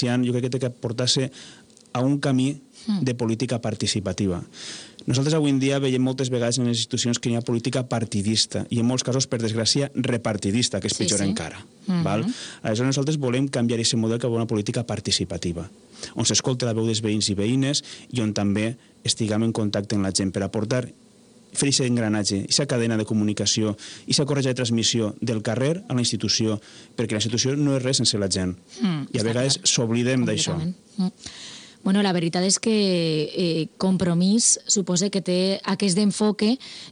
jo crec que té que portar-se a un camí de política participativa. Nosaltres avui en dia veiem moltes vegades en les institucions que hi ha política partidista i en molts casos, per desgràcia, repartidista, que és pitjor encara. Aleshores nosaltres volem canviar aquest model cap a una política participativa, on s'escolta la veu dels veïns i veïnes i on també estiguem en contacte amb la gent per aportar, fer aquest engranatge, aquesta cadena de comunicació, aquesta corretja de transmissió del carrer a la institució, perquè la institució no és res sense la gent. I a vegades s'oblidem d'això. Bueno, la veritat és que Compromís suposa que té aquest enfoque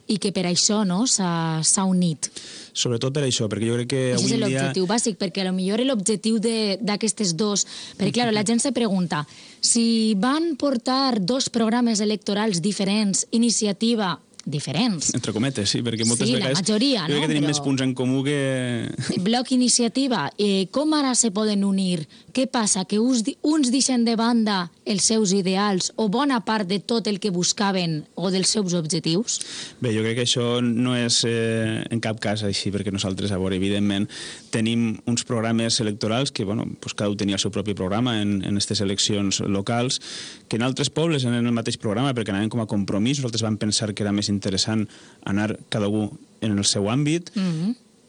i que per això s'ha unit. Sobretot per això, perquè jo crec que avui Aquest en dia... és l'objectiu bàsic, perquè potser l'objectiu d'aquestes dos... Perquè, clar, la gent se pregunta, si van portar dos programes electorals diferents, iniciativa... diferents. Entre cometes, sí, perquè moltes vegades... Sí, la majoria, no? Jo crec que tenim més punts en comú que... Bloc Iniciativa, com ara se poden unir? Què passa? Que uns deixen de banda els seus ideals o bona part de tot el que buscaven o dels seus objectius? Bé, jo crec que això no és en cap cas així, perquè nosaltres, a veure, evidentment, tenim uns programes electorals que, bueno, pues cada un tenia el seu propi programa en aquestes eleccions locals, que en altres pobles en el mateix programa, perquè anaven com a Compromís, nosaltres vam pensar que era més interessant anar cada un en el seu àmbit,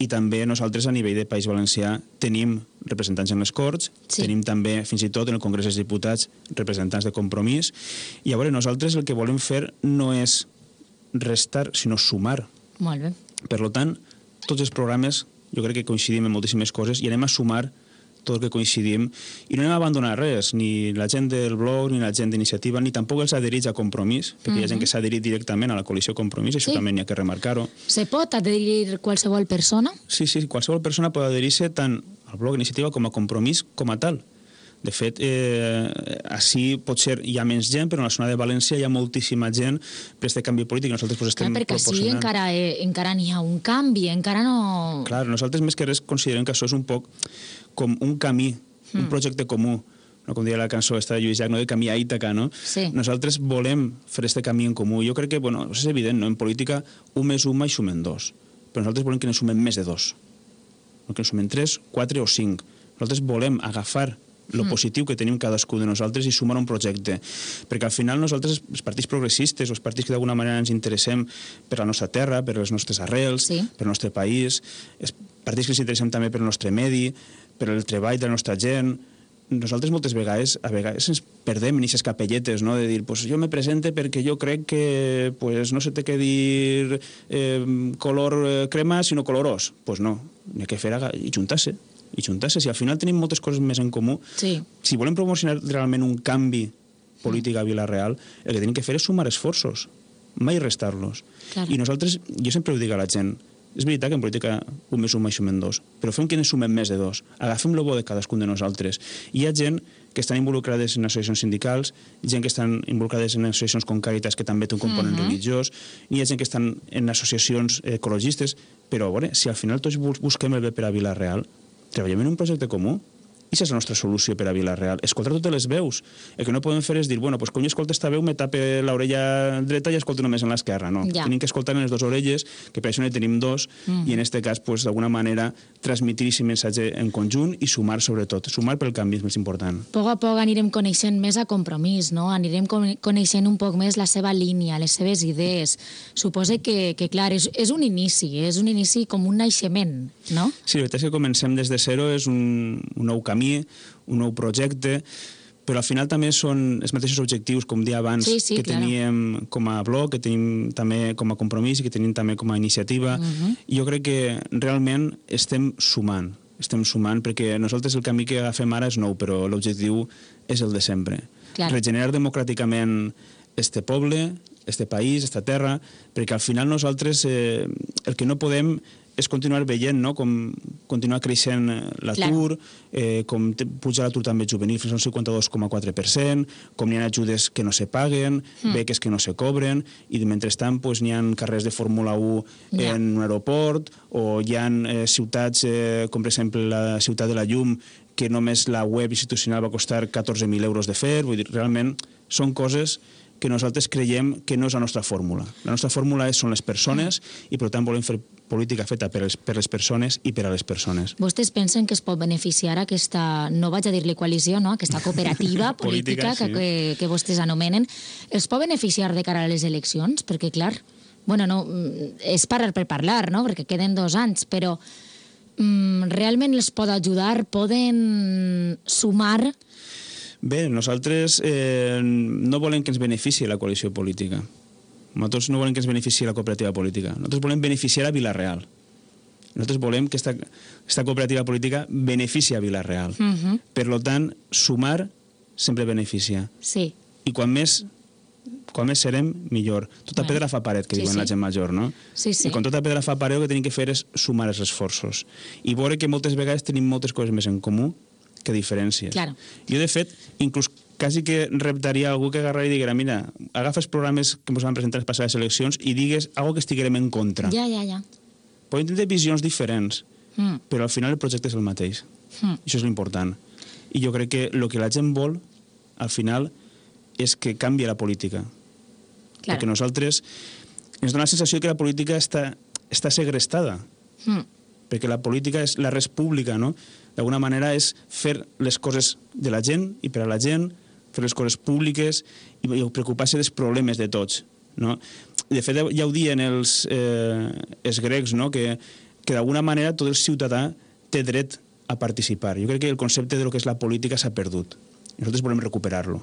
i també nosaltres a nivell de País Valencià tenim representants en les Corts, tenim també fins i tot en el Congrés dels Diputats representants de Compromís, i a veure, nosaltres el que volem fer no és restar, sinó sumar. Molt bé. Per tant, tots els programes jo crec que coincidim en moltíssimes coses i anem a sumar tot el que coincidim, i no anem a abandonar res, ni la gent del blog, ni la gent d'iniciativa, ni tampoc els adherits a Compromís, perquè hi ha gent que s'ha adherit directament a la coalició Compromís, això també n'hi ha que remarcar-ho. Se pot adherir qualsevol persona? Sí, qualsevol persona pot adherir-se tant al blog Iniciativa com a Compromís com a tal. De fet, així potser hi ha menys gent, però en la zona de València hi ha moltíssima gent per aquest canvi polític. Nosaltres estem perquè proporcionant... així encara n'hi ha un canvi, encara no... Clar, nosaltres més que res considerem que això és un poc com un camí, un projecte comú, no, com deia la cançó esta de Lluís Llach, no, de camí a Ítaca, no? Sí. Nosaltres volem fer aquest camí en comú. Jo crec que, bueno, és evident, no? En política, 1 més 1 mai sumen 2, però nosaltres volem que ne sumem més de 2, no que ne sumem 3, 4 o 5. Nosaltres volem agafar el positiu que tenim cadascú de nosaltres i sumar un projecte. Perquè al final nosaltres, els partits progressistes, els partits que d'alguna manera ens interessem per la nostra terra, per les nostres arrels, per el nostre país, els partits que ens interessem també per el nostre medi, per el treball de la nostra gent, nosaltres moltes vegades, ens perdem en aquestes capelletes, no? De dir, pues jo me presente perquè jo crec que pues, no se té que dir color crema, sinó colorós. Pues no, n'hi ha que fer i juntar-se. Si al final tenim moltes coses més en comú, si volem promocionar realment un canvi polític a Vila-real, el que tenim que fer és sumar esforços, mai restar-los. I nosaltres, jo sempre ho dic a la gent, és veritat que en política 1 més 1 mai sumen 2, però fem que ne sumem més de 2. Agafem el bo de cadascun de nosaltres. Hi ha gent que estan involucrades en associacions sindicals, gent que estan involucrades en associacions com Càritas, que també té un component religiós, hi ha gent que estan en associacions ecologistes, però a veure, si al final tots busquem el bé per a Vila-real, treballem en un projecte comú. I aquesta és la nostra solució per a Vila-real. Escoltar totes les veus. El que no podem fer és dir, bueno, pues quan jo escolto esta veu me tape l'orella dreta i escolto només en l'esquerra. No, tenim que escoltar en les dues orelles, que per això ne tenim dos, i en aquest cas, pues, d'alguna manera, transmitir aquest missatge en conjunt i sumar, sobretot. Sumar pel canvi és més important. A poc a poc anirem coneixent més a Compromís, no? Anirem coneixent un poc més la seva línia, les seves idees. Suposo que clar, és un inici com un naixement, no? Sí, la veritat és que comencem des de zero, és un nou camí, un nou projecte, però al final també són els mateixos objectius, com dia abans, que teníem com a blog, que tenim també com a Compromís i que tenim també com a iniciativa. I jo crec que realment estem sumant, perquè nosaltres el camí que agafem ara és nou, però l'objectiu és el de sempre. Regenerar democràticament este poble, este país, esta terra, perquè al final nosaltres el que no podem és continuar veient, no? Com continuar creixent l'atur, com puja l'atur també juvenil fins al 52,4%, com n'hi ha ajudes que no se paguen, beques que no se cobren, i mentrestant n'hi ha carrers de Fórmula 1 en un aeroport, o hi ha ciutats, com per exemple la ciutat de la Llum, que només la web institucional va costar 14.000 euros de fer. Vull dir, realment són coses que nosaltres creiem que no és la nostra fórmula. La nostra fórmula són les persones i, per tant, volem fer política feta per les persones i per a les persones. Vostès pensen que es pot beneficiar aquesta, no vaig a dir-li coalició, no? Aquesta cooperativa política sí. que vostès anomenen, es pot beneficiar de cara a les eleccions? Perquè, clar, bueno, no, és parlar per parlar, no? Perquè queden 2 anys, però realment els pot ajudar? Poden sumar? Bé, nosaltres no volem que ens benefici la coalició política. Nosaltres no volem que ens benefici la cooperativa política. Nosaltres volem beneficiar a Vila-real. Nosaltres volem que esta cooperativa política benefici a Vila-real. Per tant, sumar sempre beneficia. Sí. I quan més serem, millor. Tota pedra fa paret, que diuen la gent major, no? Sí, sí. I quan tota pedra fa paret, el que tenim que fer és sumar els esforços. I veure que moltes vegades tenim moltes coses més en comú que diferències. Claro. Jo, de fet, inclús quasi que reptaria algú que agarrari i diguera, mira, agafa els programes que ens van presentar les passades eleccions i digues algo que estiguem en contra. Ja. Podem tenir visions diferents, però al final el projecte és el mateix. Això és l'important. I jo crec que el que la gent vol, al final, és que canvi la política. Claro. Perquè nosaltres ens dona la sensació que la política està segrestada. Perquè la política és la res pública, no? D'alguna manera és fer les coses de la gent i per a la gent, fer les coses públiques i preocupar-se dels problemes de tots, no? De fet, ja ho diuen els grecs, no? Que d'alguna manera tot el ciutadà té dret a participar. Jo crec que el concepte de lo que és la política s'ha perdut. Nosaltres volem recuperar-lo.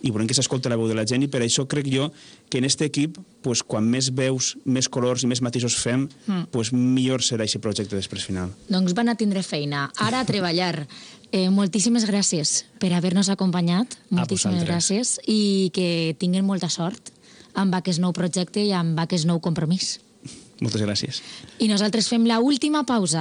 I volem que s'escolti la veu de la gent i per això crec jo que en aquest equip, pues, quan més veus, més colors i més matisos fem, pues, millor serà aquest projecte després final. Doncs van a tindre feina. Ara a treballar. Moltíssimes gràcies per haver-nos acompanyat. Moltíssimes gràcies. I que tinguin molta sort amb aquest nou projecte i amb aquest nou compromís. Moltes gràcies. I nosaltres fem l'última pausa.